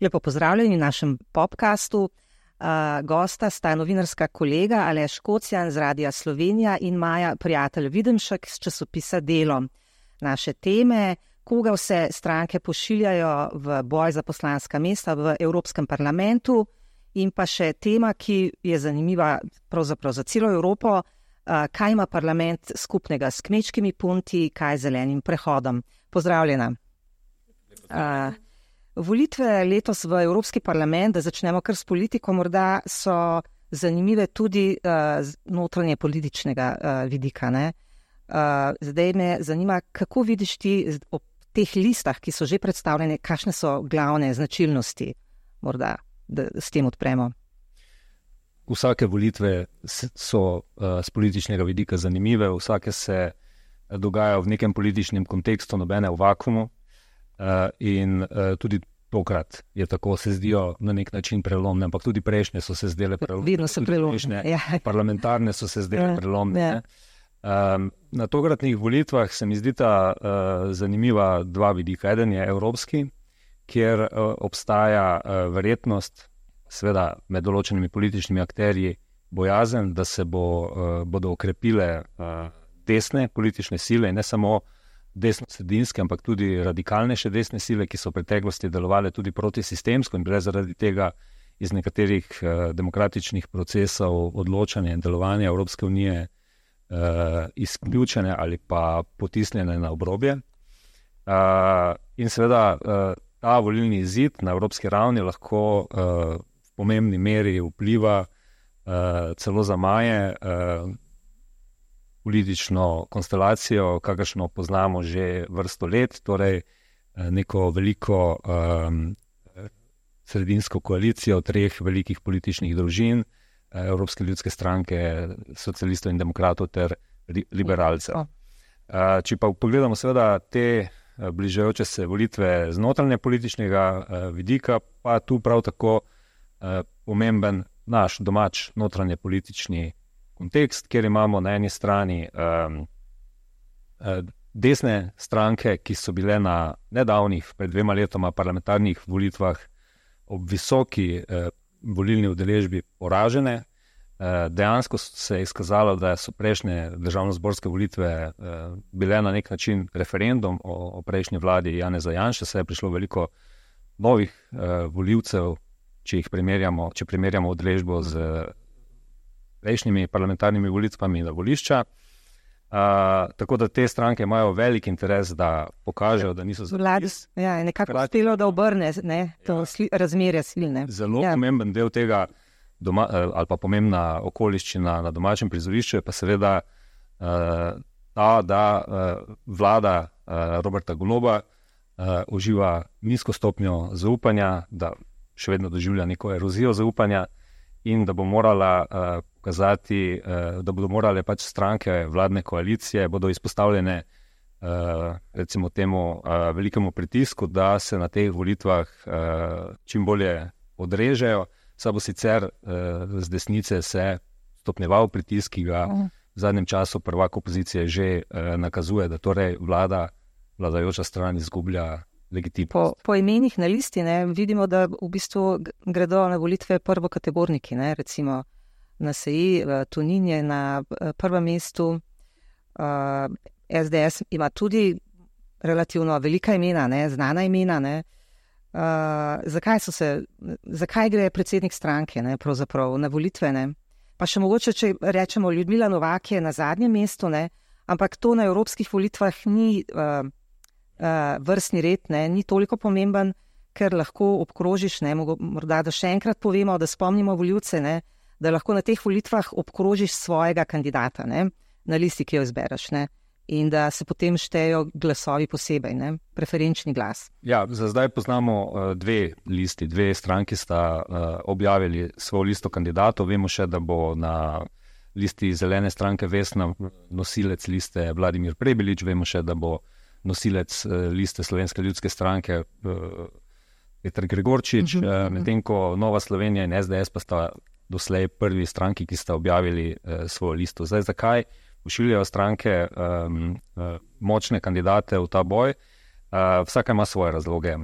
Lepo pozdravljeni v našem podcastu. Gosta sta novinarska kolega Aleš Kocjan z Radia Slovenija in Maja Prijatelj Videmšek z časopisa Delo. Naše teme, koga vse stranke pošiljajo v boj za poslanska mesta v Evropskem parlamentu, in pa še tema, ki je zanimiva pravzaprav za celo Evropo, kaj ima parlament skupnega s kmečkimi punti, kaj z zelenim prehodom. Pozdravljena. Volitve letos v Evropski parlament, da začnemo kar s politiko, morda so zanimive tudi z notranje političnega vidika, ne? Zdaj me zanima, kako vidiš ti ob teh listah, ki so že predstavljene, kakšne so glavne značilnosti, morda, da s tem odpremo. Vsake volitve so z političnega vidika zanimive, vsake se dogajajo v nekem političnem kontekstu, nobene v vakuumu, in tudi tokrat je tako, se zdijo na nek način prelomne, ampak tudi prejšnje so se zdele prelomne. Vedno so prelomne. Parlamentarne so se zdele prelomne. Na tokratnih volitvah se mi zdita zanimiva dva vidika. Eden je evropski, kjer obstaja verjetnost, seveda med določenimi političnimi akterji, bojazen, da se bodo okrepile desne politične sile, in ne samo desno-sredinske, ampak tudi radikalnejše desne sile, ki so v preteklosti delovale tudi protisistemsko in bile zaradi tega iz nekaterih demokratičnih procesov odločanja in delovanja Evropske unije izključene ali pa potisnjene na obrobje. In seveda ta volilni izid na evropski ravni lahko v pomembni meri vpliva celo za Maje politično konstelacijo, kakršno poznamo že vrsto let, torej neko veliko sredinsko koalicijo treh velikih političnih družin, Evropske ljudske stranke, socialistov in demokratov ter liberalcev. Če pa pogledamo seveda te bližajoče se volitve z notranje političnega vidika, pa tu prav tako pomemben naš domač notranje politični kontekst, kjer imamo na eni strani desne stranke, ki so bile na nedavnih, pred 2 letoma parlamentarnih volitvah ob visoki volilni udeležbi poražene. Dejansko se je izkazalo, da so prejšnje državnozborske volitve bile na nek način referendum o prejšnji vladi Janeza Janše, saj je prišlo veliko novih volivcev, če primerjamo udeležbo z prejšnjimi parlamentarnimi volitvami na volišča. Tako da te stranke imajo velik interes, da pokažejo, da niso zadis. Ja, je nekako uspelo, da obrne to razmerje sil. Zelo pomemben del tega ali pa pomembna okoliščina na domačem prizorišču je pa seveda ta, da vlada Roberta Goloba uživa nizko stopnjo zaupanja, da še vedno doživlja neko erozijo zaupanja in da bo morala pokazati, da bodo morale pač stranke vladne koalicije, bodo izpostavljene recimo temu velikemu pritisku, da se na teh volitvah čim bolje odrežejo. Saj bo sicer z desnice se stopnjeval pritisk, ki ga v zadnjem času prvak opozicije že nakazuje, da torej vladajoča stran izgublja legitimnost. Po imenih na listi vidimo, da v bistvu gredo na volitve prvokategorniki, recimo NSi, Tonin je na prvem mestu, SDS ima tudi relativno velika imena, znana imena, zakaj gre predsednik stranke pravzaprav na volitve, Pa še mogoče, če rečemo, Ljudmila Novak je na zadnjem mestu, ampak to na evropskih volitvah ni vrstni red, ni toliko pomemben, ker lahko obkrožiš, morda da še enkrat povemo, da spomnimo volivce, da lahko na teh volitvah obkrožiš svojega kandidata, na listi, ki jo izbereš, in da se potem štejo glasovi posebej, preferenčni glas. Ja, za zdaj poznamo dve listi, dve stranki sta objavili svojo listo kandidatov. Vemo še, da bo na listi Zelene stranke Vesna nosilec liste Vladimir Prebilič, vemo še, da bo nosilec liste Slovenske ljudske stranke Peter Gregorčič, medtem ko Nova Slovenija in SDS pa sta doslej prvi stranki, ki sta objavili svojo listo. Zdaj, zakaj pošiljajo stranke močne kandidate v ta boj. Vsaka ima svoje razloge.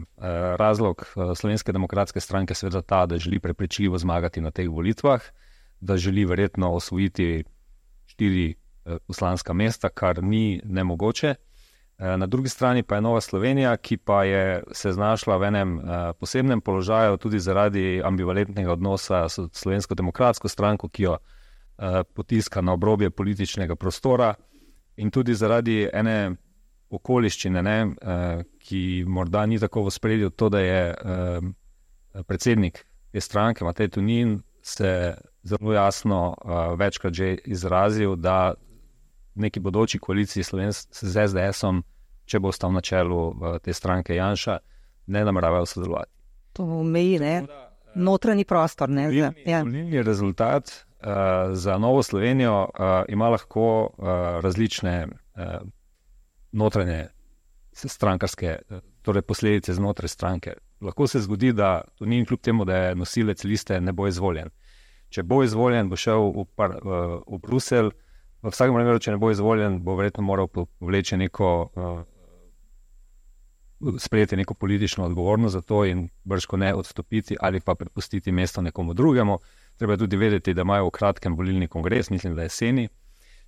Razlog Slovenske demokratske stranke je seveda ta, da želi prepričljivo zmagati na teh volitvah, da želi verjetno osvojiti 4 poslanska mesta, kar ni nemogoče. Na drugi strani pa je Nova Slovenija, ki pa je se znašla v enem posebnem položaju tudi zaradi ambivalentnega odnosa s Slovensko demokratsko stranko, ki jo potiska na obrobje političnega prostora, in tudi zaradi ene okoliščine, ki morda ni tako v ospredju, to, da je predsednik te stranke, Matej Tonin, se zelo jasno večkrat že izrazil, da neki bodoči koaliciji z SDS-om, če bo ostal na čelu te stranke Janša, ne nameravajo sodelovati. To meji, ne? Notranji prostor, ne? Volilni rezultat za Novo Slovenijo ima lahko različne notranje strankarske, torej posledice znotraj stranke. Lahko se zgodi, da Tonin kljub temu, da je nosilec liste, ne bo izvoljen. Če bo izvoljen, bo šel v Bruselj. V vsakem primeru, če ne bo izvoljen, bo verjetno moral sprejeti neko politično odgovornost za to in brško ne odstopiti ali pa prepustiti mesto nekomu drugemu. Treba tudi vedeti, da imajo v kratkem volilni kongres, mislim, da jeseni.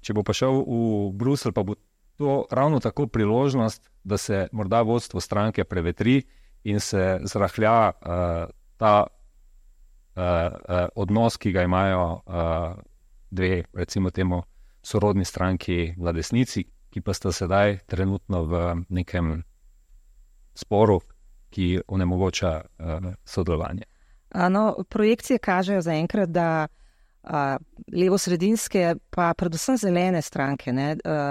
Če bo pa šel v Bruselj, pa bo to ravno tako priložnost, da se morda vodstvo stranke prevetri in se zrahlja ta odnos, ki ga imajo dve, recimo temu, sorodni stranki na desnici, ki pa sta sedaj trenutno v nekem sporu, ki onemogoča sodelovanje. Projekcije kažejo zaenkrat, da levo-sredinske, pa predvsem zelene stranke,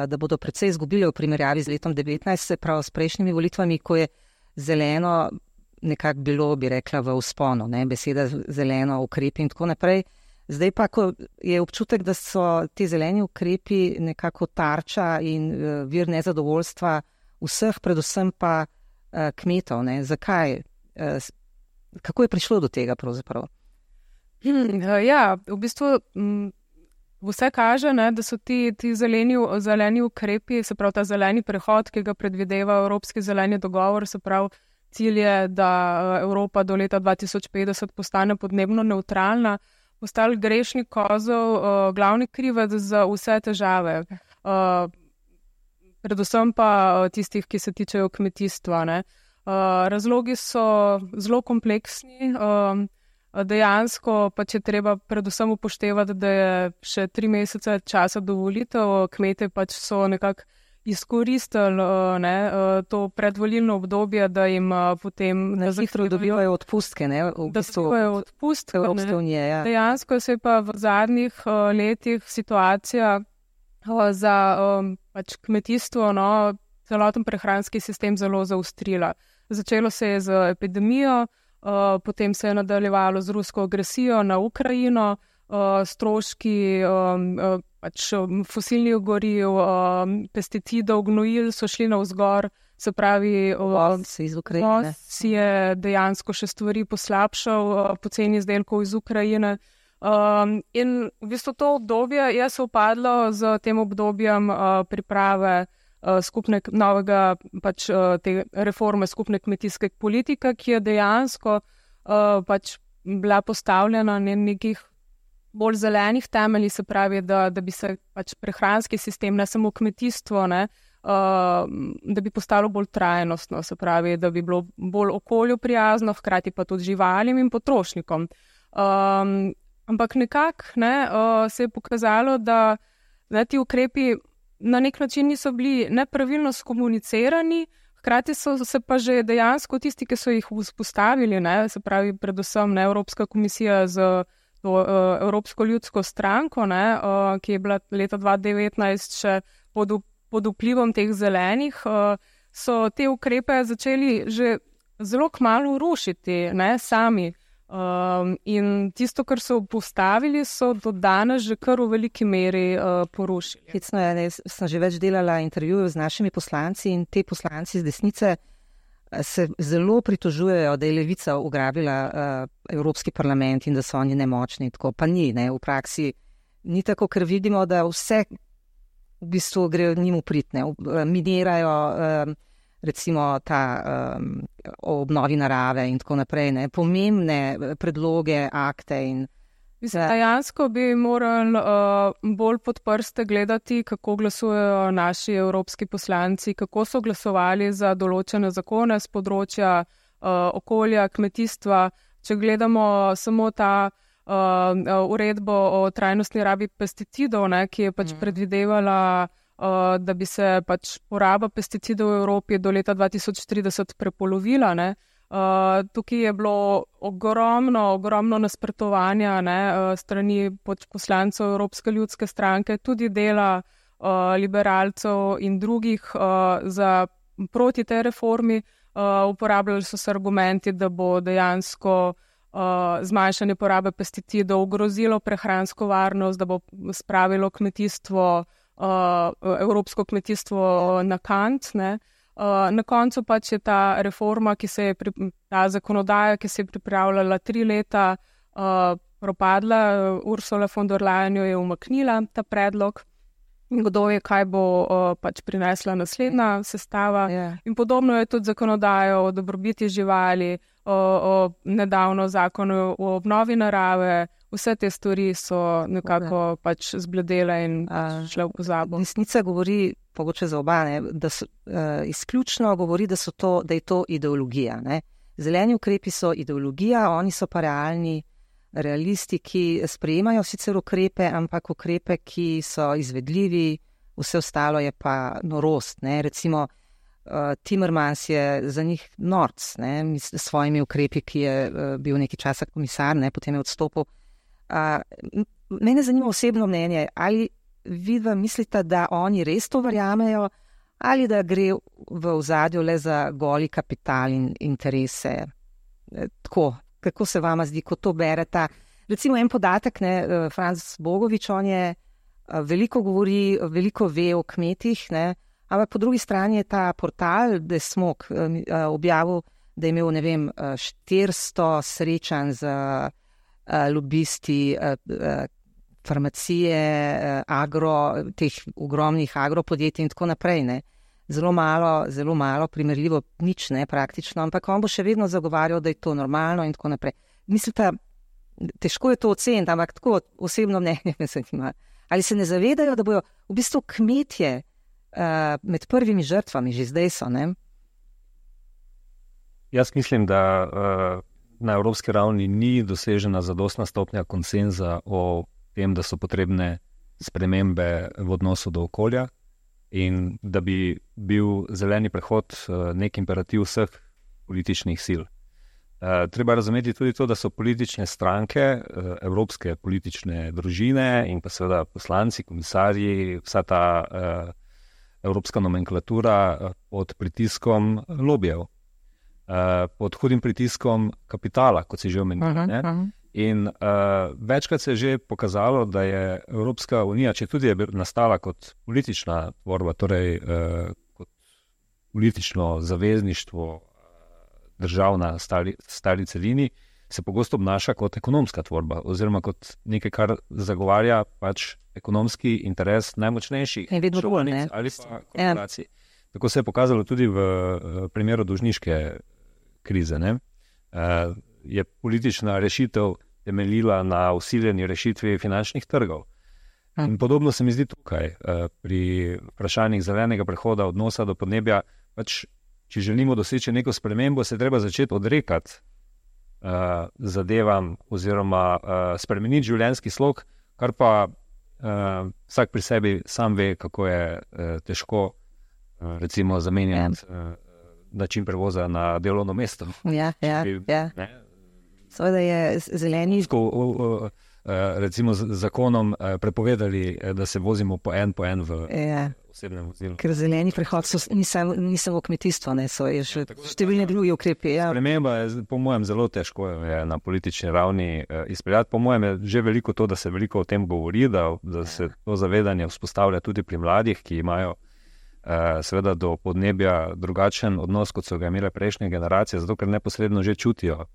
da bodo precej izgubile v primerjavi z letom 2019, se pravi s prejšnjimi volitvami, ko je zeleno nekako bilo, bi rekla, v vzponu, beseda zeleno, ukrepi in tako naprej. Zdaj pa, ko je občutek, da so ti zeleni ukrepi nekako tarča in vir nezadovoljstva vseh, predvsem pa kmetov. Zakaj? Kako je prišlo do tega pravzaprav? Ja, v bistvu vse kaže, da so ti zeleni ukrepi, se pravi ta zeleni prehod, ki ga predvideva Evropski zeleni dogovor, se pravi cilj je, da Evropa do leta 2050 postane podnebno nevtralna, postali grešni kozel, glavni krivec za vse težave. Predvsem pa tistih, ki se tičejo kmetijstva. Razlogi so zelo kompleksni. Dejansko pa če treba predvsem upoštevati, da je še 3 mesece časa do volitev, kmete pač so nekako izkoristili to predvolilno obdobje, da jim potem hitro dobivajo odpustke, Evropske unije. Ja. Dejansko se je pa v zadnjih letih situacija za pač kmetijstvo, celoten prehranski sistem zelo zaostrila. Začelo se je z epidemijo, potem se je nadaljevalo z rusko agresijo na Ukrajino, stroški fosilnih goriv, pesticidov, gnojil so šli navzgor, se pravi, si je dejansko še stvari poslabšal po ceni izdelkov iz Ukrajine. In v bistvu to obdobje je se upadlo z tem obdobjem priprave novega te reforme skupne kmetijske politike, ki je dejansko bila postavljena na nekih bolj zelenih temeljih, se pravi, da bi se prehranski sistem, ne samo kmetijstvo, da bi postalo bolj trajnostno, se pravi, da bi bilo bolj okolju prijazno, hkrati pa tudi živalim in potrošnikom. Ampak nekako se je pokazalo, da ti ukrepi na nek način niso bili nepravilno skomunicirani, hkrati so se pa že dejansko tisti, ki so jih vzpostavili, se pravi predvsem Evropska komisija z Evropsko ljudsko stranko, ki je bila leta 2019 še pod vplivom teh zelenih, so te ukrepe začeli že zelo kmalu rušiti sami. In tisto, kar so postavili, so do danes že kar v veliki meri porušili. Hecno je, sem že več delala intervjujev z našimi poslanci in te poslanci z desnice se zelo pritožujejo, da je Levica ugrabila Evropski parlament in da so oni nemočni. Tako pa ni, v praksi ni tako, ker vidimo, da vse v bistvu grejo njim upritne, minirajo recimo ta o obnovi narave in tako naprej, ne, pomembne predloge, akte in dejansko bi morali bolj pod prste gledati, kako glasujejo naši evropski poslanci, kako so glasovali za določene zakone z področja okolja, kmetijstva. Če gledamo samo ta uredbo o trajnostni rabi pesticidov, ne, ki je pač predvidevala, da bi se pač poraba pesticidov v Evropi do leta 2030 prepolovila, ne. Tukaj je bilo ogromno nasprotovanja, ne, strani poslancev Evropske ljudske stranke, tudi dela liberalcev in drugih proti tej reformi. Uporabljali so se argumenti, da bo dejansko zmanjšanje porabe pesticidov ogrozilo prehransko varnost, da bo spravilo kmetijstvo, evropsko kmetijstvo na kant, ne. Na koncu pač je ta reforma, ta zakonodaja, ki se je pripravljala 3 leta, propadla. Ursula von der Leyen jo je umaknila, ta predlog. Kdo je, kaj bo pač prinesla naslednja sestava. In podobno je tudi zakonodajo o dobrobiti živali, o nedavno zakonu o obnovi narave. Vse te stvari so nekako pač zbledele in šle v pozabo. Desnica govori, pogoče za oba, ne, da so, izključno govori, da je to ideologija. Ne. Zeleni ukrepi so ideologija, oni so pa realisti, ki sprejemajo sicer ukrepe, ampak ukrepe, ki so izvedljivi, vse ostalo je pa norost. Ne. Recimo Timmermans je za njih norc, ne, s svojimi ukrepi, ki je bil nekaj časa komisar, ne, potem je odstopil. Mene zanima osebno mnenje, ali vidva mislite, da oni res to verjamejo, ali da gre v ozadju le za goli kapital in interese. Tako, kako se vama zdi, ko to berete? Recimo en podatek, ne, Franc Bogovič, on je veliko govori, veliko ve o kmetih, ne, ampak po drugi strani je ta portal Desmok objavil, da je imel, ne vem, 400 srečanj z lobisti farmacije, teh ogromnih agropodjetij in tako naprej. Ne. Zelo malo, primerljivo nič, ne, praktično, ampak on bo še vedno zagovarjal, da je to normalno in tako naprej. Mislite, težko je to oceniti, ampak tako osebno mnenje me zanima. Ali se ne zavedajo, da bojo v bistvu kmetje med prvimi žrtvami, že zdaj so, ne? Jaz mislim, da na evropski ravni ni dosežena zadostna stopnja konsenza o tem, da so potrebne spremembe v odnosu do okolja in da bi bil zeleni prehod nek imperativ vseh političnih sil. Treba razumeti tudi to, da so politične stranke, evropske politične družine in pa seveda poslanci, komisarji, vsa ta evropska nomenklatura pod pritiskom lobijev. Pod hudim pritiskom kapitala, kot si že omenil. In večkrat se je že pokazalo, da je Evropska unija, če tudi je nastala kot politična tvorba, torej kot politično zavezništvo držav na stari celini, se pogosto obnaša kot ekonomska tvorba oziroma kot nekaj, kar zagovarja pač ekonomski interes najmočnejših članic ali pa korporacij. Tako se je pokazalo tudi v primeru dolžniške krize. Ne? Je politična rešitev temeljila na vsiljeni rešitvi finančnih trgov. In podobno se mi zdi tukaj, pri vprašanjih zelenega prehoda, odnosa do podnebja, pač, če želimo doseči neko spremembo, se treba začeti odrekati zadevam oziroma spremeniti življenjski slog, kar pa vsak pri sebi sam ve, kako je težko recimo zamenjati način prevoza na delovno mesto. Ja. Seveda je zeleni... recimo z zakonom prepovedali, da se vozimo po en v osebnem vozilu. Ker zeleni prehod ni samo kmetijstvo, ne, so je še številni drugi ukrepi. Ja. Sprememba je, po mojem, zelo težko je na politični ravni izpeljati. Po mojem je že veliko to, da se veliko o tem govori, da se to zavedanje vzpostavlja tudi pri mladih, ki imajo seveda do podnebja drugačen odnos, kot so ga imele prejšnje generacije, zato ker neposredno že čutijo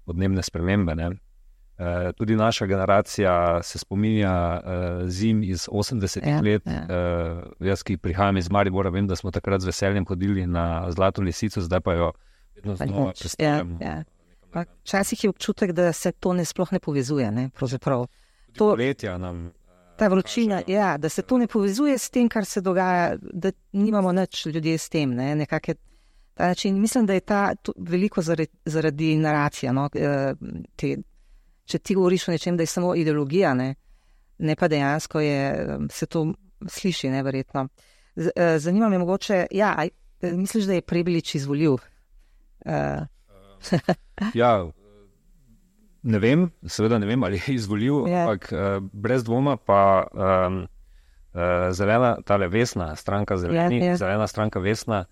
podnebne spremembe. Ne? Tudi naša generacija se spominja zim iz 80 let. Jaz, ki prihajam iz Maribora, vem, da smo takrat z veseljem hodili na Zlato lisico, zdaj pa jo vedno znova predstavljamo. Včasih je občutek, da se to sploh ne povezuje. Ne? Poletja nam... Ta vročina, da se to ne povezuje s tem, kar se dogaja, da nimamo nič ljudje s tem. Ne? Nekak je ta način. Mislim, da je veliko zaradi naracija. No? Če ti govoriš o nečem, da je samo ideologija, ne pa dejansko se to sliši, neverjetno. Zanima me mogoče, misliš, da je Prebilič izvoljiv? Ne vem, seveda ne vem, ali je izvoljiv, ampak brez dvoma pa tale Vesna, stranka Zeleni, zelena stranka Vesna,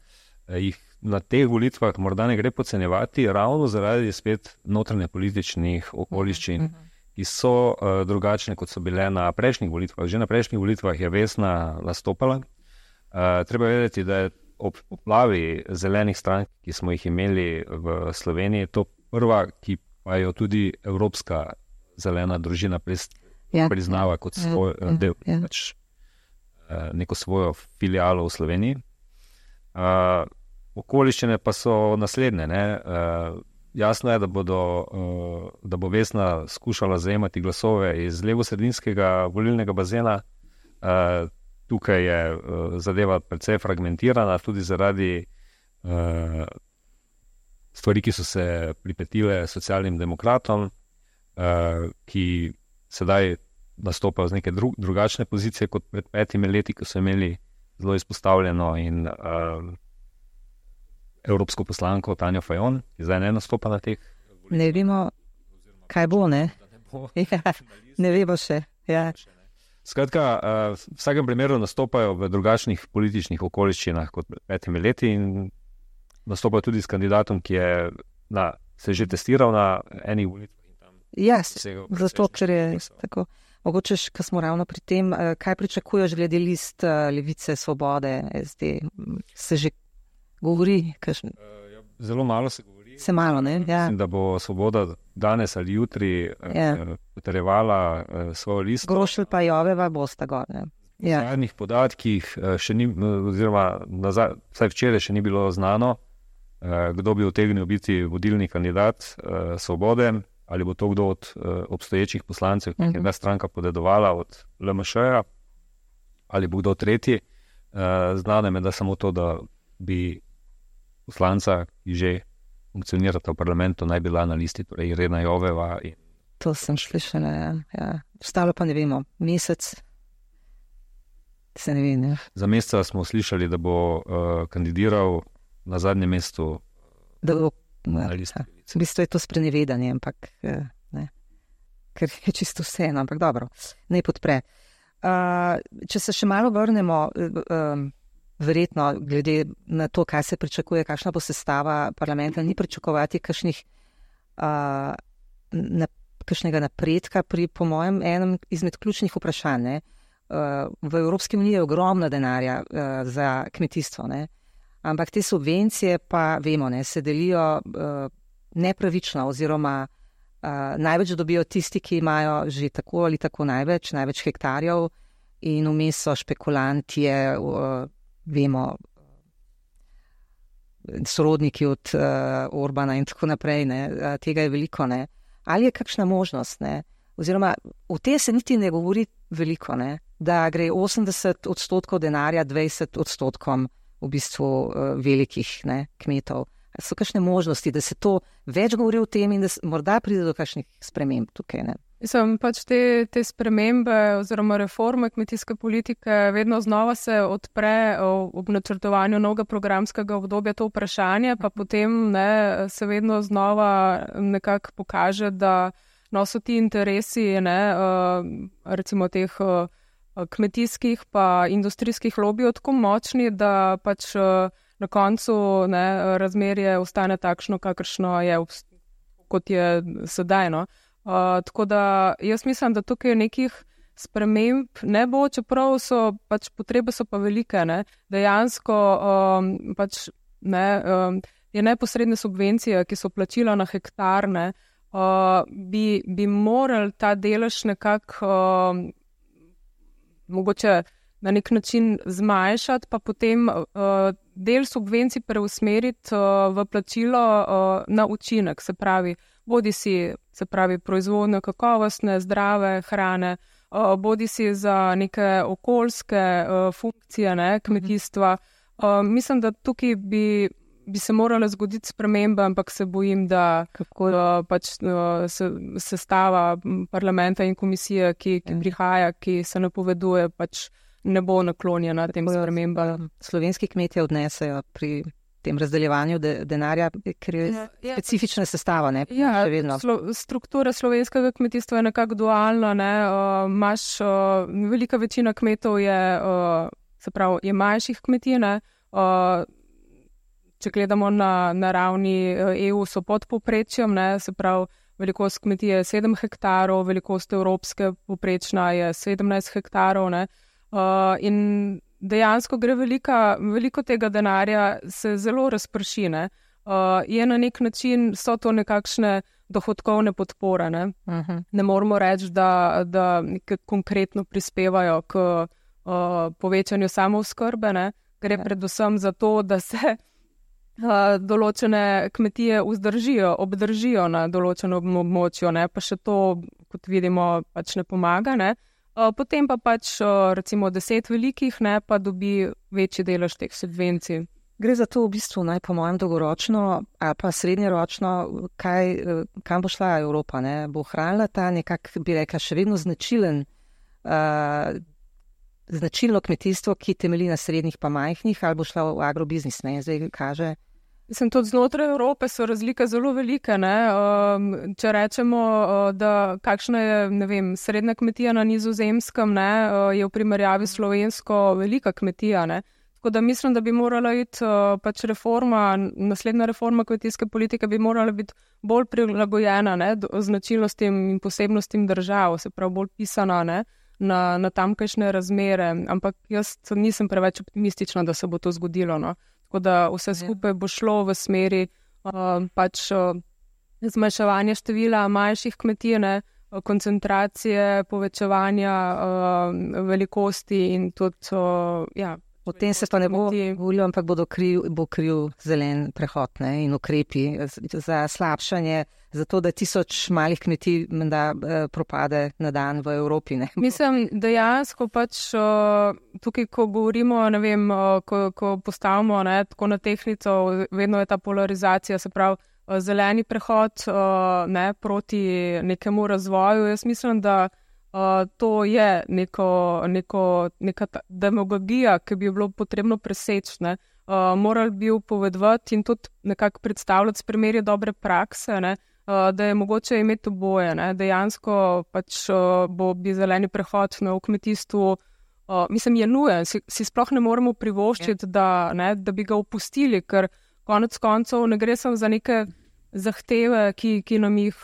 jih na teh volitvah morda ne gre podcenjevati, ravno zaradi spet notranje političnih okoliščin, ki so drugačne, kot so bile na prejšnjih volitvah. Že na prejšnjih volitvah je Vesna nastopala. Treba vedeti, da je ob poplavi zelenih strank, ki smo jih imeli v Sloveniji, to prva, ki pa jo tudi Evropska zelena družina priznava kot svoj del, neko svojo filialo v Sloveniji. Okoliščine pa so naslednje. Jasno je, da bo Vesna skušala zajemati glasove iz levosredinskega volilnega bazena. Tukaj je zadeva precej fragmentirana, tudi zaradi stvari, ki so se pripetile socialnim demokratom, ki sedaj nastopajo z neke drugačne pozicije kot pred 5 leti, ko so imeli zelo izpostavljeno in evropsko poslanko Tanjo Fajon, ki zdaj ne nastopa na teh. Ne vemo, kaj bo, ne? Ne vemo še. Skratka, v vsakem primeru nastopajo v drugačnih političnih okoliščinah kot pred 5 leti in nastopajo tudi s kandidatom, ki je se že testiral na enih volitvah. Zato, ker je tako. Mogoče, ko smo ravno pri tem, kaj pričakuješ glede list Levice, Svobode, SD? Se že govori? Zelo malo se govori. Se malo, ne? Mislim, da bo Svoboda danes ali jutri potrjevala svojo listo. Grošelj pa Joveva bosta gor. V zadnjih podatkih še ni, oziroma vsaj včeraj še ni bilo znano, kdo bi utegnil biti vodilni kandidat Svobode, ali bo to kdo od obstoječih poslancev, ki je ta stranka podedovala od LMŠ-ja, ali bo kdo tretji. Znane me, da samo to, da bi poslanca, ki že funkcionirata v parlamentu, naj bila na listi, torej Irena Joveva. To sem slišala, Ostalo pa ne vemo. Mesec se ne ve, ne. Za meseca smo slišali, da bo kandidiral na zadnjem mestu na listi. V bistvu je to sprenevedanje, ampak ne. Ker je čisto vseeno, ampak dobro, naj podpre. Če se še malo vrnemo, verjetno, glede na to, kaj se pričakuje, kakšna bo sestava parlamenta, ni pričakovati kakšnega napredka pri, po mojem, enem izmed ključnih vprašanj. V Evropski uniji je ogromno denarja za kmetijstvo, ne? Ampak te subvencije pa, vemo, se delijo nepravično oziroma največ dobijo tisti, ki imajo že tako ali tako največ hektarjev in vmes so špekulanti, vemo, sorodniki od Orbana in tako naprej, tega je veliko, Ali je kakšna možnost, oziroma v tem se niti ne govori veliko, da gre 80% denarja 20% v bistvu velikih kmetov. So kakšne možnosti, da se to več govori o tem in da morda pride do kakšnih sprememb tukaj, Mislim, te spremembe oziroma reforme kmetijske politike vedno znova se odpre ob načrtovanju novega programskega obdobja to vprašanje, pa potem se vedno znova nekako pokaže, da so ti interesi, recimo teh kmetijskih pa industrijskih lobijev tako močni, da pač na koncu razmerje ostane takšno, kakršno je, kot je sedaj, Tako da jaz mislim, da tukaj nekih sprememb ne bo, čeprav so pač potrebe so pa velike, Dejansko pač je neposredne subvencije, ki so plačila na hektar, bi morali ta delež nekako mogoče na nek način zmanjšati, pa potem del subvencij preusmeriti v plačilo na učinek, se pravi, bodisi proizvodnjo kakovostne, zdrave hrane, bodisi za neke okoljske funkcije, kmetijstva. Mislim, da tukaj bi se morala zgoditi sprememba, ampak se bojim, da pač sestava parlamenta in komisije, ki prihaja, ki se napoveduje, pač ne bo naklonjena tem spremembam. Slovenski kmetje odnesejo pri tem razdeljevanju denarja, ker je specifična sestava, ne? Ja, struktura slovenskega kmetijstva je nekako dualna, ne? Velika večina kmetov je manjših kmetij, ne? Če gledamo na ravni EU, so pod povprečjem, ne? Se pravi, velikost kmetije je 7 hektarov, velikost evropske povprečna je 17 hektarov, ne? In dejansko gre veliko tega denarja se zelo razprši, ne? Je na nek način, so to nekakšne dohodkovne podpore, ne? Ne moramo reči, da konkretno prispevajo k povečanju samooskrbe, ne? Gre predvsem za to, da se določene kmetije obdržijo na določenem območju, ne? Pa še to, kot vidimo, pač ne pomaga, ne? Potem pa pač recimo 10 velikih, ne, pa dobi večji delež teh subvencij. Gre za to v bistvu po mojem dolgoročno ali pa srednjeročno, kam bo šla Evropa, ne? Bo ohranila ta nekako, bi rekla, še vedno značilno kmetijstvo, ki temelji na srednjih pa majhnih, ali bo šla v agrobiznis, ne? Zdaj kaže. Mislim, tudi znotraj Evrope so razlike zelo velike, ne? Če rečemo, da kakšna je, ne vem, srednja kmetija na Nizozemskem, ne, je v primerjavi slovensko velika kmetija, ne? Tako da mislim, da bi morala iti pač naslednja reforma kmetijske politike bi morala biti bolj prilagojena, ne, značilnostim in posebnostim držav, se pravi bolj pisana, ne, na tamkajšnje razmere, ampak jaz nisem preveč optimistična, da se bo to zgodilo, no. Tako da vse skupaj bo šlo v smeri pač zmanjševanja števila manjših kmetij, koncentracije, povečevanja velikosti in tudi, Potem se pa ne bo volil, ampak bo kriv zelen prehod, ne, in ukrepi za slabšanje, zato da 1000 malih kmetij menda propade na dan v Evropi, ne. Mislim, dejansko pač tukaj, ko govorimo, ne vem, ko postavimo, ne, tako na tehtnico, vedno je ta polarizacija, se pravi, zeleni prehod, ne, proti nekemu razvoju. Jaz mislim, da to je neka demagogija, ki bi bilo potrebno preseči, ne. Morali bi upovedovati in tudi nekako predstavljati s primerje dobre prakse, ne, da je mogoče imeti oboje, ne. Dejansko pač bi zeleni prehod v kmetijstvu, mislim, je nujen, si sploh ne moremo privoščiti, da bi ga opustili, ker konec koncev ne gre samo za neke zahteve, ki nam jih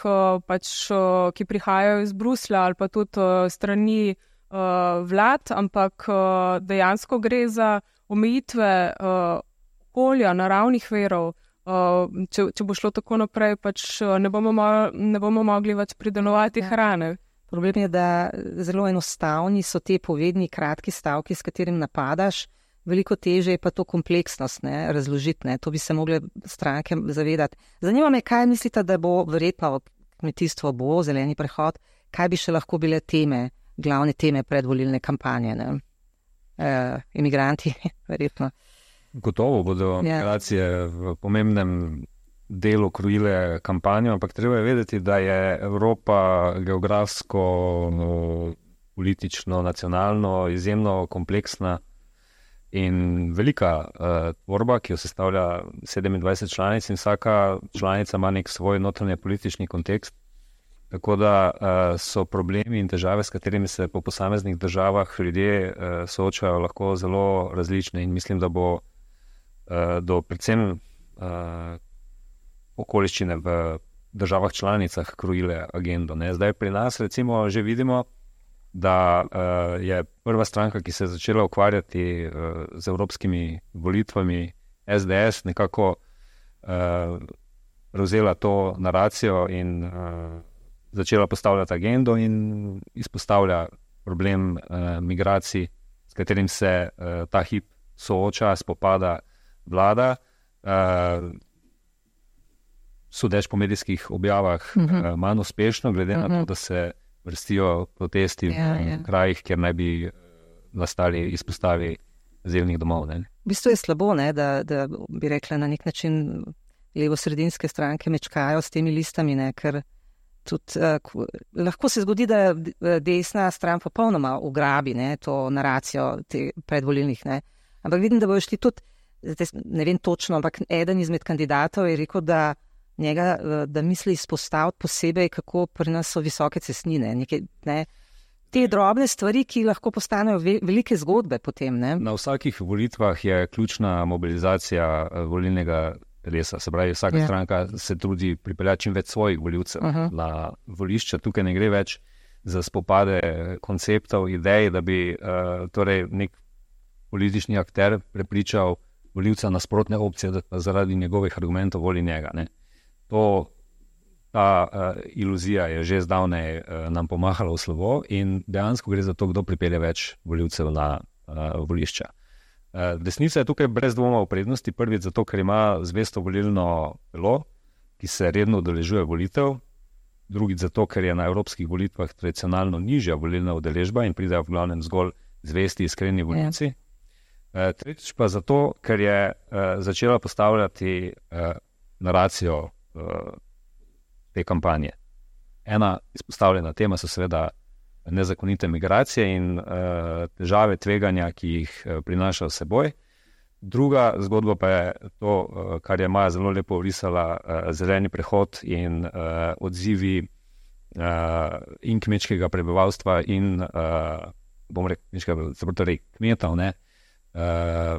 pač, ki prihajajo iz Bruslja ali pa tudi strani vlad, ampak dejansko gre za omejitve okolja, naravnih virov. Če bo šlo tako naprej, pač ne bomo mogli več pridelovati hrane. Problem je, da zelo enostavni so te povedni kratki stavki, s katerim napadaš, veliko teže je pa to kompleksnost, ne, razložiti, ne. To bi se mogle stranke zavedati. Zanima me, kaj mislite, da bo verjetno kmetijstvo bo, zeleni prehod, kaj bi še lahko bile teme, glavne teme predvolilne kampanje, ne? Imigranti, verjetno. Gotovo bodo migracije v pomembnem delu krojile kampanjo, ampak treba je vedeti, da je Evropa geografsko, politično, nacionalno izjemno kompleksna in velika tvorba, ki jo sestavlja 27 članic in vsaka članica ima nek svoj notranje politični kontekst. Tako da so problemi in težave, s katerimi se po posameznih državah ljudje soočajo, lahko zelo različne in mislim, da bo do predvsem okoliščine v državah članicah krojile agendo, ne. Zdaj pri nas recimo že vidimo, da je prva stranka, ki se je začela ukvarjati z evropskimi volitvami, SDS, nekako prevzela to naracijo in začela postavljati agendo in izpostavlja problem migracij, s katerim se ta hip sooča, spopada vlada. Sodeč po medijskih objavah manj uspešno, glede na to, da se vrstijo protesti v krajih, kjer naj bi nastali izpostavi azilnih domov. Ne? V bistvu je slabo, ne, da bi rekla na nek način levo-sredinske stranke mečkajo s temi listami, ne, ker tudi lahko se zgodi, da desna stran popolnoma ugrabi, ne, to naracijo predvolilnih. Ne. Ampak vidim, da bojo šli tudi, ne vem točno, ampak eden izmed kandidatov je rekel, da misli izpostaviti posebej, kako pri nas so visoke cestnine. Te drobne stvari, ki lahko postanejo velike zgodbe potem. Ne? Na vsakih volitvah je ključna mobilizacija volilnega telesa. Se pravi, vsaka stranka se trudi pripeljati čim več svojih volivcev na volišča. Tukaj ne gre več za spopade konceptov, idej, da bi torej nek politični akter prepričal volivca nasprotne opcije, da zaradi njegovih argumentov voli njega. Ne? Ta iluzija je že zdavnej nam pomahala v slovo in dejansko gre za to, kdo pripelje več volivcev na volišča. Desnica je tukaj brez dvoma v prednosti, prvič zato, ker ima zvesto volilno telo, ki se redno udeležuje volitev, drugič zato, ker je na evropskih volitvah tradicionalno nižja volilna udeležba in pridejo v glavnem zgolj zvesti iskreni volivci. Tretjič pa zato, ker je začela postavljati naracijo te kampanje. Ena izpostavljena tema so seveda nezakonite migracije in težave, tveganja, ki jih prinaša s seboj. Druga zgodba pa je to, kar je Maja zelo lepo orisala, zeleni prehod in odzivi in kmečkega prebivalstva in bom rekel, kmetov, ne,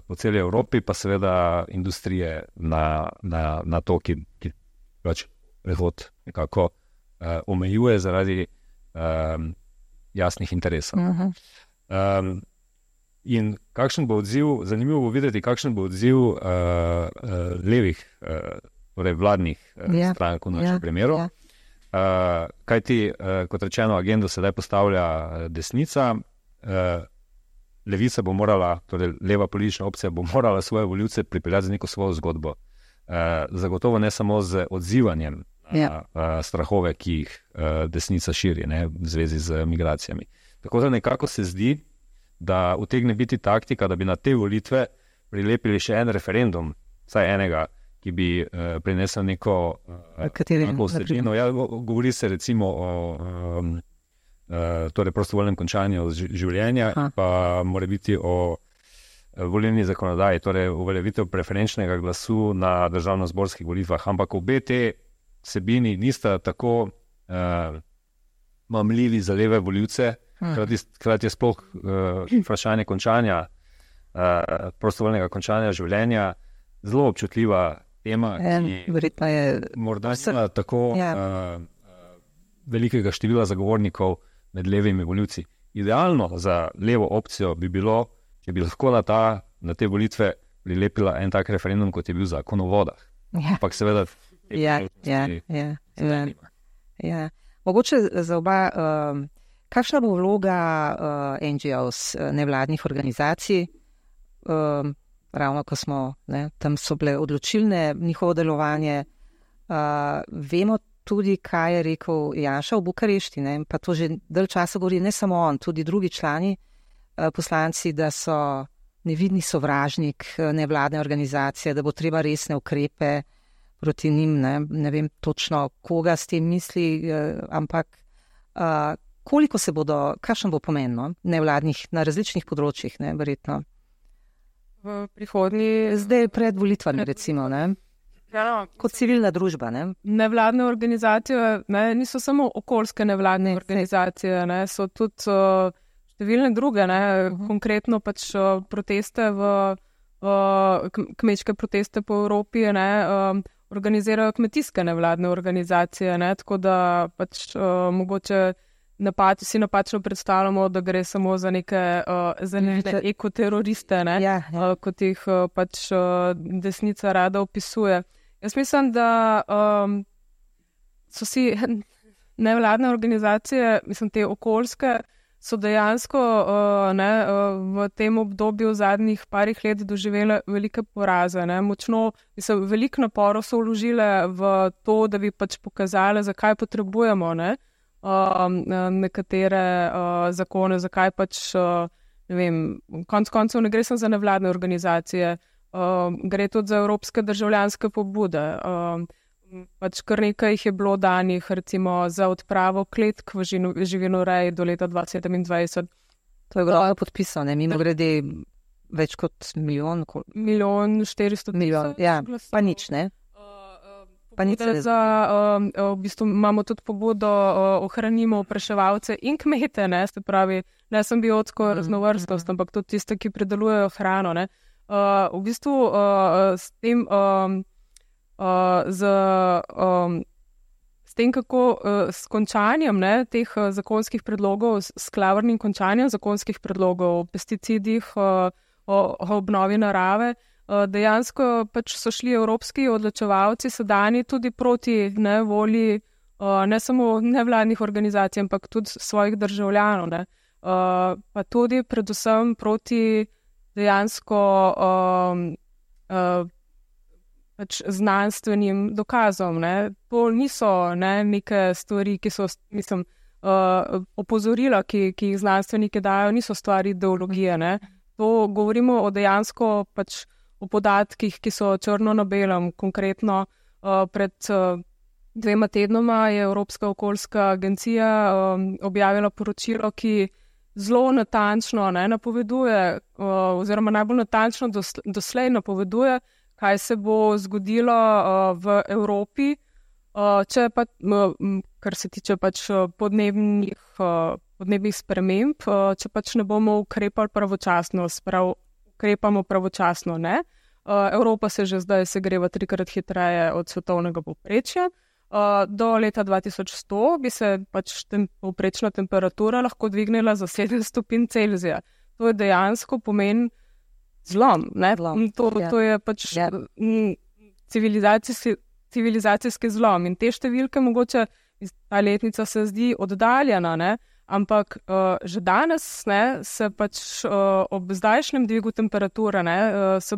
po celi Evropi, pa seveda industrije na to, ki pač prehod nekako omejuje zaradi jasnih interesov. In kakšen bo odziv, zanimivo bo videti, kakšen bo odziv levih, torej vladnih strank v našem primeru. Kajti, kot rečeno, agendo sedaj postavlja desnica, levica bo morala, torej leva politična opcija bo morala svoje volivce pripeljati z neko svojo zgodbo. Zagotovo ne samo z odzivanjem strahove, ki jih desnica širi, ne, v zvezi z migracijami. Tako da nekako se zdi, da utegne biti taktika, da bi na te volitve prilepili še en referendum, vsaj enega, ki bi prinesel neko vsebino. Govori se recimo o torej prostovoljnem končanju življenja, pa mora biti o volilni zakonodaji, torej uveljavitev preferenčnega glasu na državnozborskih volitvah. Ampak obe te vsebini nista tako mamljivi za leve volivce, hkrati je sploh vprašanje končanja, prostovoljnega končanja življenja zelo občutljiva tema, ki morda nima tako velikega števila zagovornikov med levimi volivci. Idealno za levo opcijo bi bilo, če bi lahko na te volitve prilepila en tak referendum, kot je bil Zakon o vodah. Ampak seveda Mogoče za oba, kakšna bo vloga NGOs, nevladnih organizacij, ravno ko smo, tam so bile odločilne njihovo delovanje. Vemo tudi, kaj je rekel Janša v Bukarešti, pa to že dalj časa govori, ne samo on, tudi drugi člani, poslanci, da so nevidni sovražnik nevladne organizacije, da bo treba resne ukrepe proti njim, ne vem točno, koga s tem misli, ampak koliko se bodo, kakšen bo pomen nevladnih na različnih področjih, verjetno? V prihodnji... Zdaj pred volitvami, recimo, kot civilna družba, Nevladne organizacije, niso samo okoljske nevladne organizacije, so tudi številne druge, konkretno pač proteste kmečke proteste po Evropi, organizirajo kmetijske nevladne organizacije, tako da pač mogoče si napačno predstavljamo, da gre samo za neke ekoteroriste, kot jih pač desnica rada opisuje. Jaz mislim, da so si nevladne organizacije, mislim, te okoljske, so dejansko v tem obdobju v zadnjih parih let doživele velike poraze. Močno, mislim, veliko naporov so vložile v to, da bi pač pokazali, zakaj potrebujemo nekatere zakone, zakaj pač, ne vem, konec koncev ne gre samo za nevladne organizacije, gre tudi za evropske državljanske pobude. Pač kar nekaj jih je bilo danih, recimo za odpravo kletk v živinoreji do leta 2027. To je bilo podpisano, mimo grede več kot milijon. 1,4 milijon. Ja, pa nič, ne? Pa nič ne. V bistvu imamo tudi pobudo ohranimo opraševalce in kmete, ne? Se pravi, ne samo biotsko raznovrstnost, ampak tudi tiste, ki predelujejo hrano, ne? V bistvu s tem s tem, kako s končanjem teh zakonskih predlogov, s klavrnim končanjem zakonskih predlogov o pesticidih, o obnovi narave, dejansko pač so šli evropski odločevalci sedajni tudi proti volji ne samo nevladnih organizacij, ampak tudi svojih državljanov. Pa tudi predvsem proti dejansko pač znanstvenim dokazom. To niso neke stvari, ki so, mislim, opozorila, ki jih znanstveniki dajo, niso stvari ideologije. To govorimo o dejansko pač o podatkih, ki so črno na belem. Konkretno pred 2 tednoma je Evropska okoljska agencija objavila poročilo, ki zelo natančno napoveduje, oziroma najbolj natančno doslej napoveduje, kaj se bo zgodilo v Evropi, če pa, kar se tiče pač podnebnih sprememb, če pač ne bomo ukrepali pravočasno, ukrepamo pravočasno, ne. Evropa se že zdaj segreva 3-krat hitreje od svetovnega povprečja. Do leta 2100 bi se pač povprečna temperatura lahko dvignila za 7 stopinj Celzija. To je dejansko pomen zlom, ne? To je pač civilizacijski zlom in te številke mogoče, ta letnica se zdi oddaljena, ne? Ampak že danes se pač ob zdajšnjem dvigu temperature se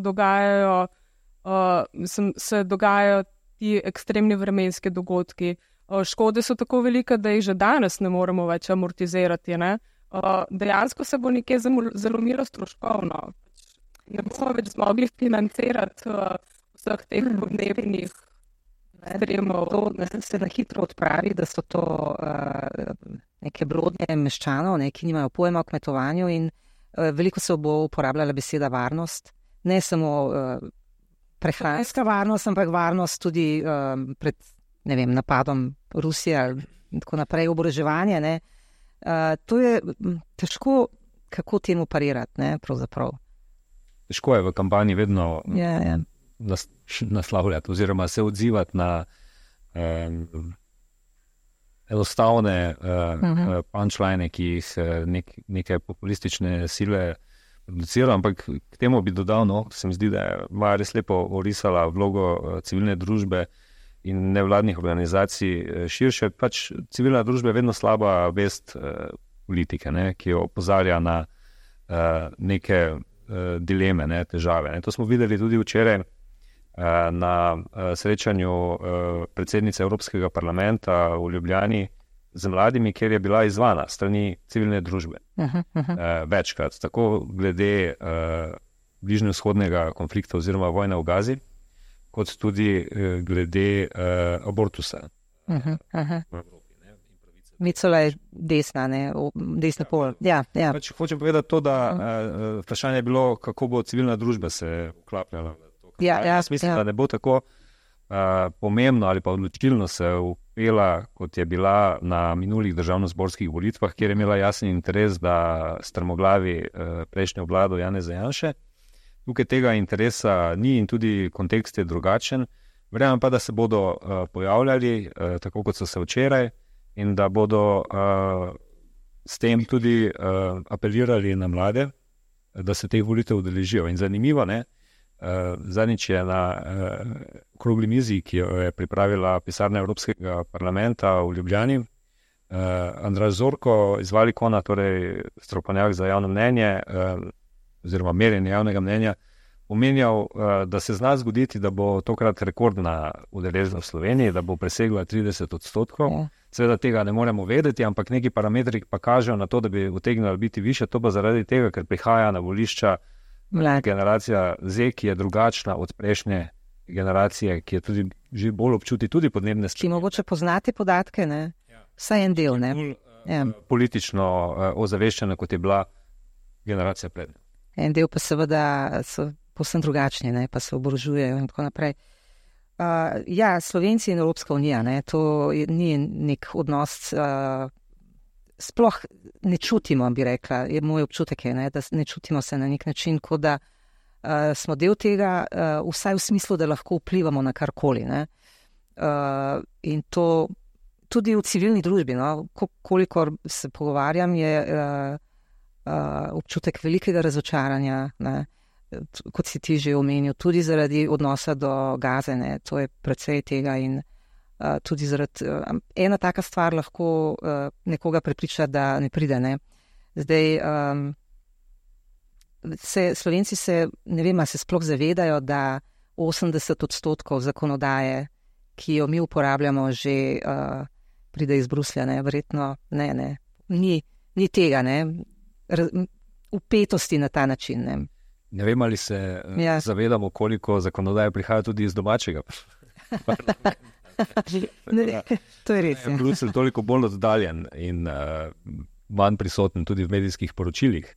dogajajo ti ekstremni vremenski dogodki. Škode so tako velike, da jih že danes ne moremo več amortizirati. Dejansko se bo nekje zalomilo stroškovno. Ne bomo več zmogli financirati vseh teh podnebnih ekstremov. To se na hitro odpravi, da so to neke blodnje meščanov, ki nimajo pojma o kmetovanju in veliko se bo uporabljala beseda varnost. Ne samo prehranska varnost, ampak varnost tudi pred, ne vem, napadom Rusije in tako naprej, oboroževanje. To je težko, kako temu parirati, pravzaprav. Težko je v kampanji vedno naslavljati oziroma se odzivati na enostavne punchline, ki jih neke populistične sile producirajo, ampak k temu bi dodal, se mi zdi, da je Maja res lepo orisala vlogo civilne družbe in nevladnih organizacij širše. Pač civilna družba je vedno slaba vest politike, ki jo opozarja na neke dileme, težave. To smo videli tudi včeraj na srečanju predsednice Evropskega parlamenta v Ljubljani z mladimi, kjer je bila izzvana strani civilne družbe. Večkrat, tako glede bližnjevzhodnega konflikta oziroma vojne v Gazi, kot tudi glede abortusa. Micola je desna, desna pol. Ja. Pač hočem povedati to, da vprašanje je bilo, kako bo civilna družba se vklapljala v to. Jaz mislim, da ne bo tako pomembno ali pa odločilno se upela, kot je bila na minulih državnozborskih volitvah, kjer je imela jasen interes, da strmoglavi prejšnjo vlado Janeza Janše. Tukaj tega interesa ni in tudi kontekst je drugačen. Verjamem pa, da se bodo pojavljali, tako kot so se včeraj, in da bodo s tem tudi apelirali na mlade, da se teh volitev udeležijo. In zanimivo, Zadnjič je na okrogli mizi, ki jo je pripravila pisarna Evropskega parlamenta v Ljubljani, Andraž Zorko iz Valikona, torej strokovnjak za javno mnenje oziroma merjenje javnega mnenja, omenjal, da se zna zgoditi, da bo tokrat rekordna udeležba v Sloveniji, da bo presegla 30%. Ja. Seveda tega ne moremo vedeti, ampak neki parametri pa kažejo na to, da bi utegnila biti više, to pa zaradi tega, ker prihaja na volišča generacija Z, ki je drugačna od prejšnje generacije, ki je tudi že bolj občuti tudi podnebne spremembe. Ki mogoče poznate podatke, ne? Vsaj en del, ne? Politično ozaveščena, kot je bila generacija pred. En del pa seveda so povsem drugačni, ne? Pa se oborožujejo in tako naprej. Slovenci in Evropska unija, ne? To ni nek odnos, sploh ne čutimo, bi rekla, je moj občutek, ne? Da ne čutimo se na nek način, kot da smo del tega, vsaj v smislu, da lahko vplivamo na karkoli, ne? In to tudi v civilni družbi, no? Kolikor se pogovarjam, je občutek velikega razočaranja, ne? Kot si ti že omenil, tudi zaradi odnosa do Gaze, ne? To je precej tega in tudi zaradi ena taka stvar lahko nekoga prepriča, da ne pride, ne? Zdaj, Slovenci se, ne vem, se sploh zavedajo, da 80% zakonodaje, ki jo mi uporabljamo, že pride iz Bruslja, ne? Verjetno ne. Ni tega, ne? Upetosti na ta način, ne? Ne vem, ali se zavedamo, koliko zakonodaje prihaja tudi iz domačega. To je res. Bruselj toliko bolj oddaljen in manj prisoten tudi v medijskih poročilih,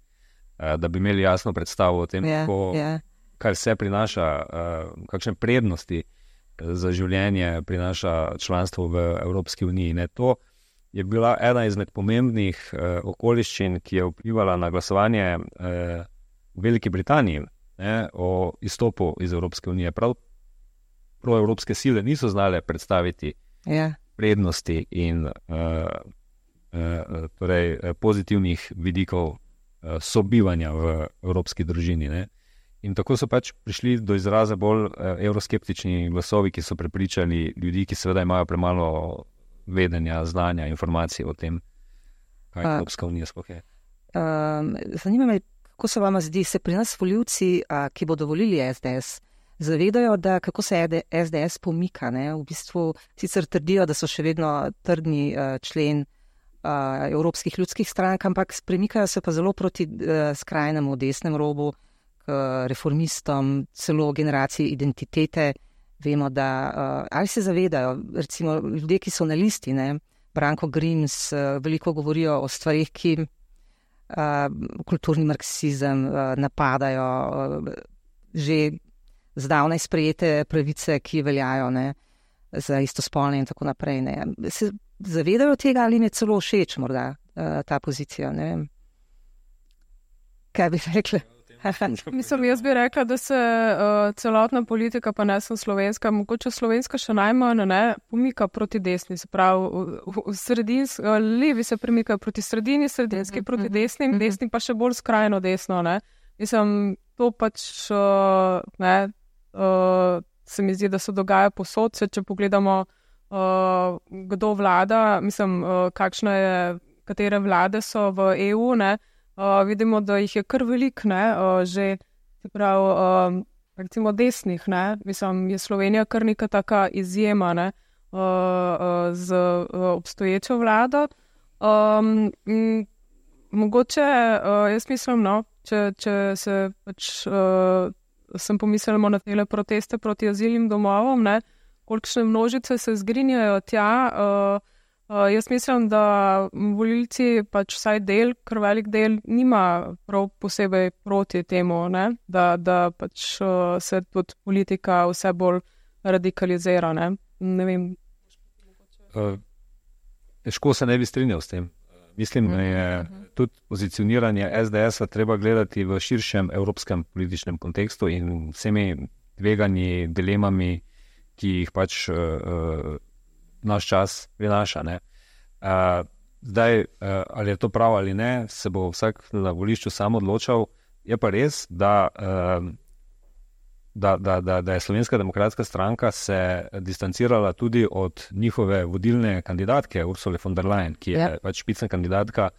da bi imeli jasno predstavo o tem, kaj vse prinaša, kakšne prednosti za življenje prinaša članstvo v Evropski uniji. Ne? To je bila ena izmed pomembnih okoliščin, ki je vplivala na glasovanje v Veliki Britaniji, ne, o izstopu iz Evropske unije. Prav proevropske sile niso znale predstaviti prednosti in torej pozitivnih vidikov sobivanja v evropski družini. Ne. In tako so pač prišli do izraza bolj evroskeptični glasovi, ki so prepričali ljudi, ki seveda imajo premalo vedenja, znanja, informacij o tem, kaj Evropska unija sploh je. Zanima me, kako se vama zdi, se pri nas volivci, ki bodo volili SDS, zavedajo, da kako se SDS pomika, ne? V bistvu sicer trdijo, da so še vedno trdni člen evropskih ljudskih strank, ampak premikajo se pa zelo proti skrajnemu desnemu robu, k reformistom, celo generaciji identitete. Vemo, da ali se zavedajo, recimo ljudje, ki so na listi, ne? Branko Grims, veliko govorijo o stvarih, ki kulturni marksizem napadajo, že zdavnaj sprejete pravice, ki veljajo, ne, za istospolne in tako naprej. Ne. Se zavedajo tega ali jim je celo všeč morda ta pozicija? Ne vem. Kaj bi rekli? Mislim, jaz bi rekla, da se celotna politika, pa ne sem slovenska, mogoče slovenska še najmanj, ne, pomika proti desni, se pravi, levi se premikajo proti sredini, sredinski proti desnim, desni pa še bolj skrajno desno, ne. Mislim, to pač, se mi zdi, da se dogaja povsod, če pogledamo, kdo vlada, mislim, katere vlade so v EU, ne. Vidimo, da jih je kar veliko, ne, že, se pravi, recimo desnih, ne, mislim, je Slovenija kar neka taka izjema, ne, z obstoječo vlado. Mogoče, jaz mislim, no, če se pač, sem pomislimo na tele proteste proti azilnim domovom, ne, kolikšne množice se zgrinjajo tja, jaz mislim, da volilci pač vsaj del, kar velik del, nima prav posebej proti temu, ne? Da pač se tudi politika vse bolj radikalizira. Ne vem. Težko se ne bi strinjal s tem. Mislim, da je tudi pozicioniranje SDS-a treba gledati v širšem evropskem političnem kontekstu in vsemi tveganji, dilemami, ki jih pač naš čas prinaša. Ne? Zdaj, ali je to prav ali ne, se bo vsak na volišču sam odločal. Je pa res, da da je Slovenska demokratska stranka se distancirala tudi od njihove vodilne kandidatke Ursule von der Leyen, ki je pač špicna kandidatka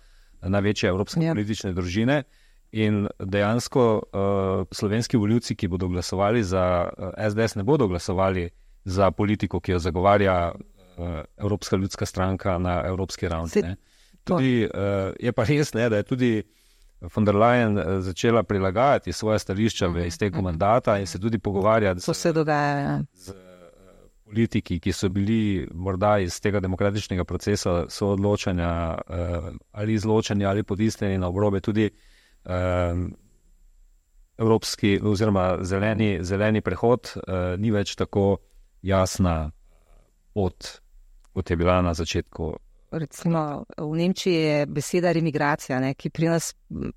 največje evropske politične družine. In dejansko slovenski volivci, ki bodo glasovali za SDS, ne bodo glasovali za politiko, ki jo zagovarja Evropska ljudska stranka na evropski ravni. Tudi, je pa res, da je tudi von der Leyen začela prilagajati svoje stališča v izteku mandata in se tudi pogovarjati z politiki, ki so bili morda iz tega demokratičnega procesa soodločanja ali izločanja ali potisnjeni na obrobe tudi evropski oziroma zeleni prehod ni več tako jasna pot, kot je bila na začetku. Recimo v Nemčiji je beseda remigracija, ki pri nas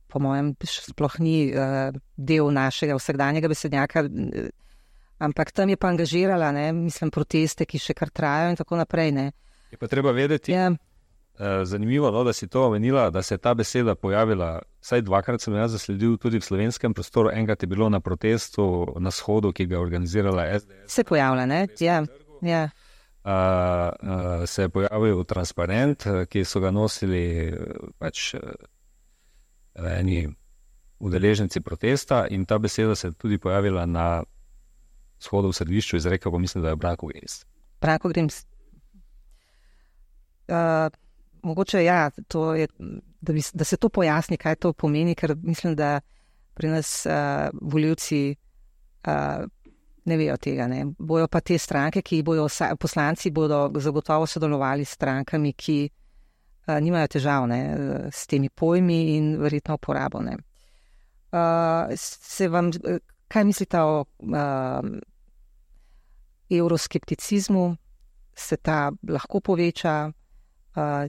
po mojem sploh ni del našega vsakdanjega besednjaka, ampak tam je pa angažirala, mislim, proteste, ki še kar trajajo in tako naprej. Je pa treba vedeti, zanimivo, da si to omenila, da se je ta beseda pojavila, vsaj dvakrat sem jaz zasledil tudi v slovenskem prostoru, enkrat je bilo na protestu, na shodu, ki ga je organizirala SDS. Se pojavlja, ja. Se je pojavil transparent, ki so ga nosili pač eni udeleženci protesta in ta beseda se je tudi pojavila na shodu v središču, izrekel pa mislim, da je Branko Grims. Branko Grims. Mogoče to je, da se to pojasni, kaj to pomeni, ker mislim, da pri nas volivci ne vejo tega. Bojo pa te stranke, poslanci bodo zagotovo sodelovali s strankami, ki nimajo težav s temi pojmi in verjetno uporabo. Kaj mislite o euroskepticizmu? Se ta lahko poveča?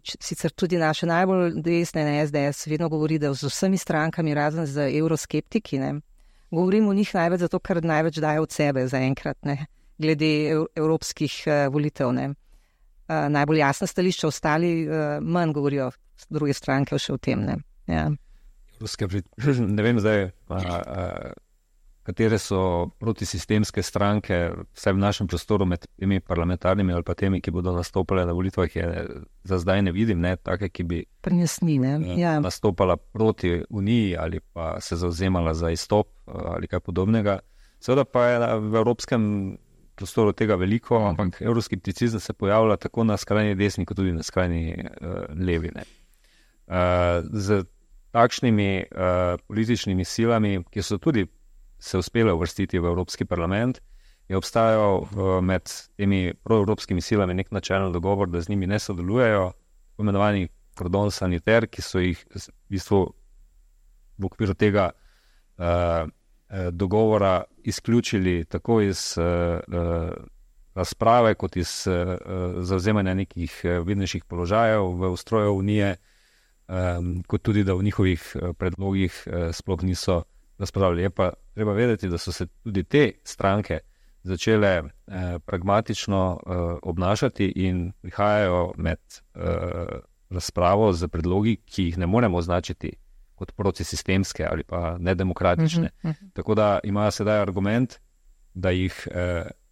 Sicer tudi naše najbolj desne SDS vedno govori, da z vsemi strankami, razen z euroskeptiki, govorim o njih največ zato, ker največ dajo od sebe zaenkrat, glede evropskih volitev. Najbolj jasna stališča, ostali manj govorijo druge stranke še o tem. Ne vem zdaj, katere so protisistemske stranke, vsaj v našem prostoru med temi parlamentarnimi ali pa temi, ki bodo nastopale na volitvah, za zdaj ne vidim, take, ki bi nastopala proti Uniji ali pa se zauzemala za izstop ali kaj podobnega. Seveda pa je v evropskem prostoru tega veliko, ampak euroskepticizem se pojavlja tako na skrajni desni, kot tudi na skrajni levi. Z takšnimi političnimi silami, ki so tudi se uspele uvrstiti v Evropski parlament, je obstajal med temi proevropskimi silami nek načelni dogovor, da z njimi ne sodelujejo, poimenovani kordon saniter, ki so jih v bistvu v okviru tega dogovora izključili tako iz razprave, kot iz zavzemanja nekih vidnejših položajev v ustroju Unije, kot tudi, da v njihovih predlogih sploh niso razpravljali. Je pa treba vedeti, da so se tudi te stranke začele pragmatično obnašati in prihajajo med razpravo z predlogi, ki jih ne moremo označiti kot protisistemske ali pa nedemokratične. Tako da imajo sedaj argument, da jih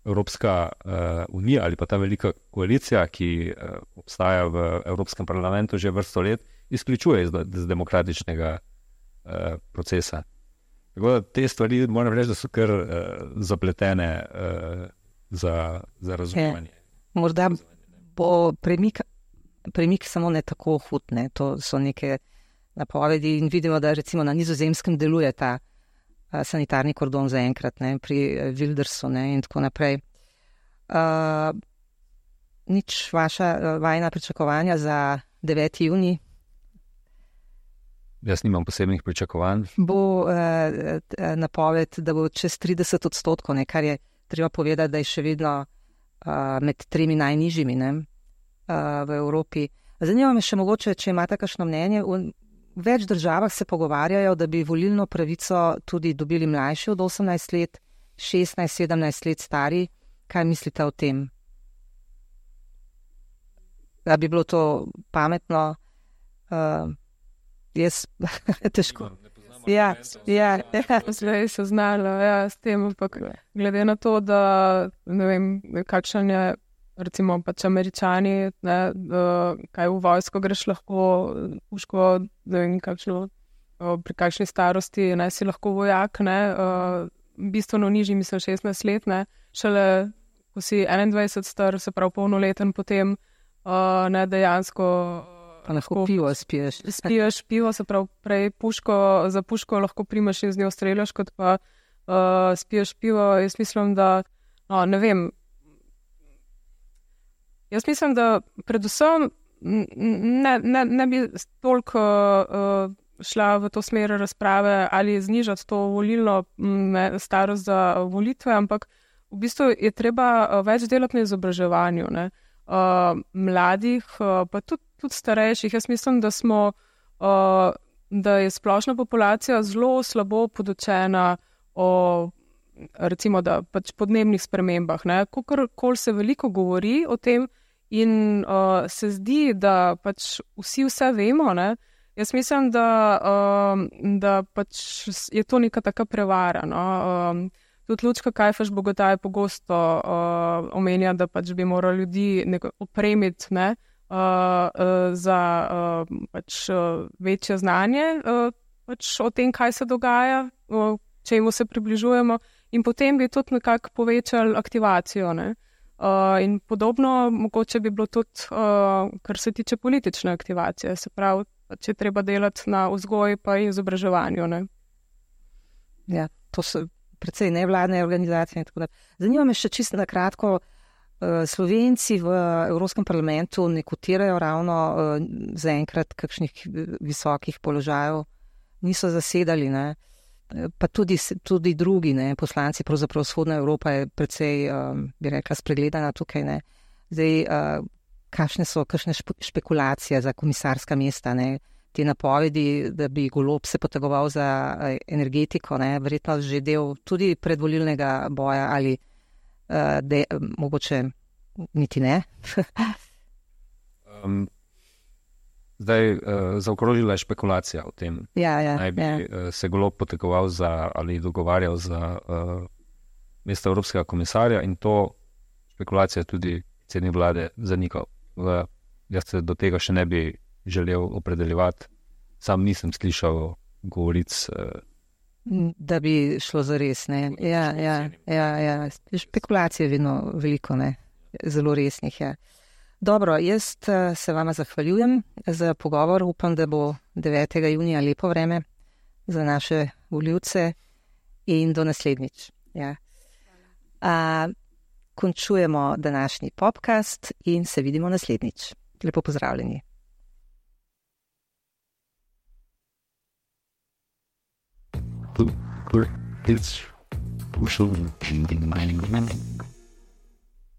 Evropska unija ali pa ta velika koalicija, ki obstaja v Evropskem parlamentu že vrsto let, izključuje iz demokratičnega procesa. Tako da te stvari moram reči, da so kar zapletene za razumevanje. Morda bo premik samo ne tako hud, to so neke napovedi in vidimo, da recimo na Nizozemskem deluje ta sanitarni kordon zaenkrat, pri Wildersu in tako naprej. Nič vajna pričakovanja za 9. junij? Jaz nimam posebnih pričakovanj. Bo napoved, da bo čez 30%, kar je treba povedati, da je še vedno med 3 najnižjimi v Evropi. Zanima me še mogoče, če imate kakšno mnenje. V več državah se pogovarjajo, da bi volilno pravico tudi dobili mlajši od 18 let, 16-17 let stari. Kaj mislite o tem? Da bi bilo to pametno? Jaz težko. Zdaj so znali s tem, ampak glede na to, da ne vem, kakšen je recimo pač Američani, kaj v vojsko greš lahko, puško, ne vem, pri kakšni starosti, si lahko vojak, bistveno nižji, mislim 16 let, šele ko si 21 star, se pravi polnoleten potem, dejansko pa lahko pivo spiješ. Spiješ pivo, se pravi prej za puško lahko primaš in z njo streljaš, kot pa spiješ pivo. Jaz mislim, da ne vem. Jaz mislim, da predvsem ne bi toliko šla v to smer razprave ali znižati to volilno starost za volitve, ampak v bistvu je treba več delati na izobraževanju, mladih, pa tudi starejših. Jaz mislim, da je splošna populacija zelo slabo podučena o recimo, da pač podnebnih spremembah. Kolikor se veliko govori o tem in se zdi, da pač vsi vse vemo, jaz mislim, da pač je to neka taka prevara. Tudi Lučka Kajfež-Bogataj pogosto omenja, da pač bi morali ljudi opremiti za pač večje znanje pač o tem, kaj se dogaja, čemu se približujemo, in potem bi tudi nekako povečali aktivacijo. In podobno mogoče bi bilo tudi, kar se tiče politične aktivacije, se pravi, če treba delati na vzgoji pa izobraževanju. Ja, to so precej nevladne organizacije. Zanima me še čisto na kratko, Slovenci v Evropskem parlamentu ne kotirajo ravno zaenkrat kakšnih visokih položajev, niso zasedali, pa tudi drugi, poslanci, pravzaprav vzhodna Evropa je precej, bi rekla, spregledana tukaj. Zdaj, kakšne so špekulacije za komisarska mesta, te napovedi, da bi Golob se potegoval za energetiko, verjetno že del tudi predvolilnega boja ali mogoče niti ne. Zdaj zaokrožila je špekulacija o tem. Naj bi se Golob potegoval ali dogovarjal za mesto evropskega komisarja, in to špekulacija tudi predsednik vlade zanikal. Jaz se do tega še ne bi želel opredeljevati. Sam nisem slišal govoric, da bi šlo za res. Špekulacije je vedno veliko, zelo resnih. Dobro, jaz se vama zahvaljujem za pogovor. Upam, da bo 9. junija lepo vreme za naše volivce in do naslednjič. Končujemo današnji podcast in se vidimo naslednjič. Lepo pozdravljeni. It's